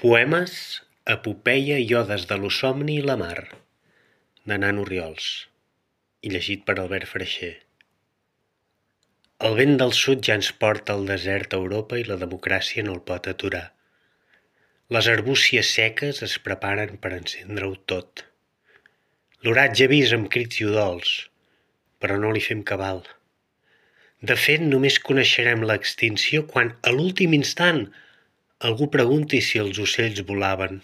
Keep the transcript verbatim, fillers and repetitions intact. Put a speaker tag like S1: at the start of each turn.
S1: Poemes, epopeia i odes de lo somni i la mar, de Nano Orriols, i llegit per Albert Freixer. El vent del sud ja ens porta al desert a Europa i la democràcia no el pot aturar. Les arbúcies seques es preparen per encendre-ho tot. L'oratge avisa amb crits i udols, però no li fem cabal. De fet, només coneixerem l'extinció quan, a l'últim instant, algú pregunti si els ocells volaven.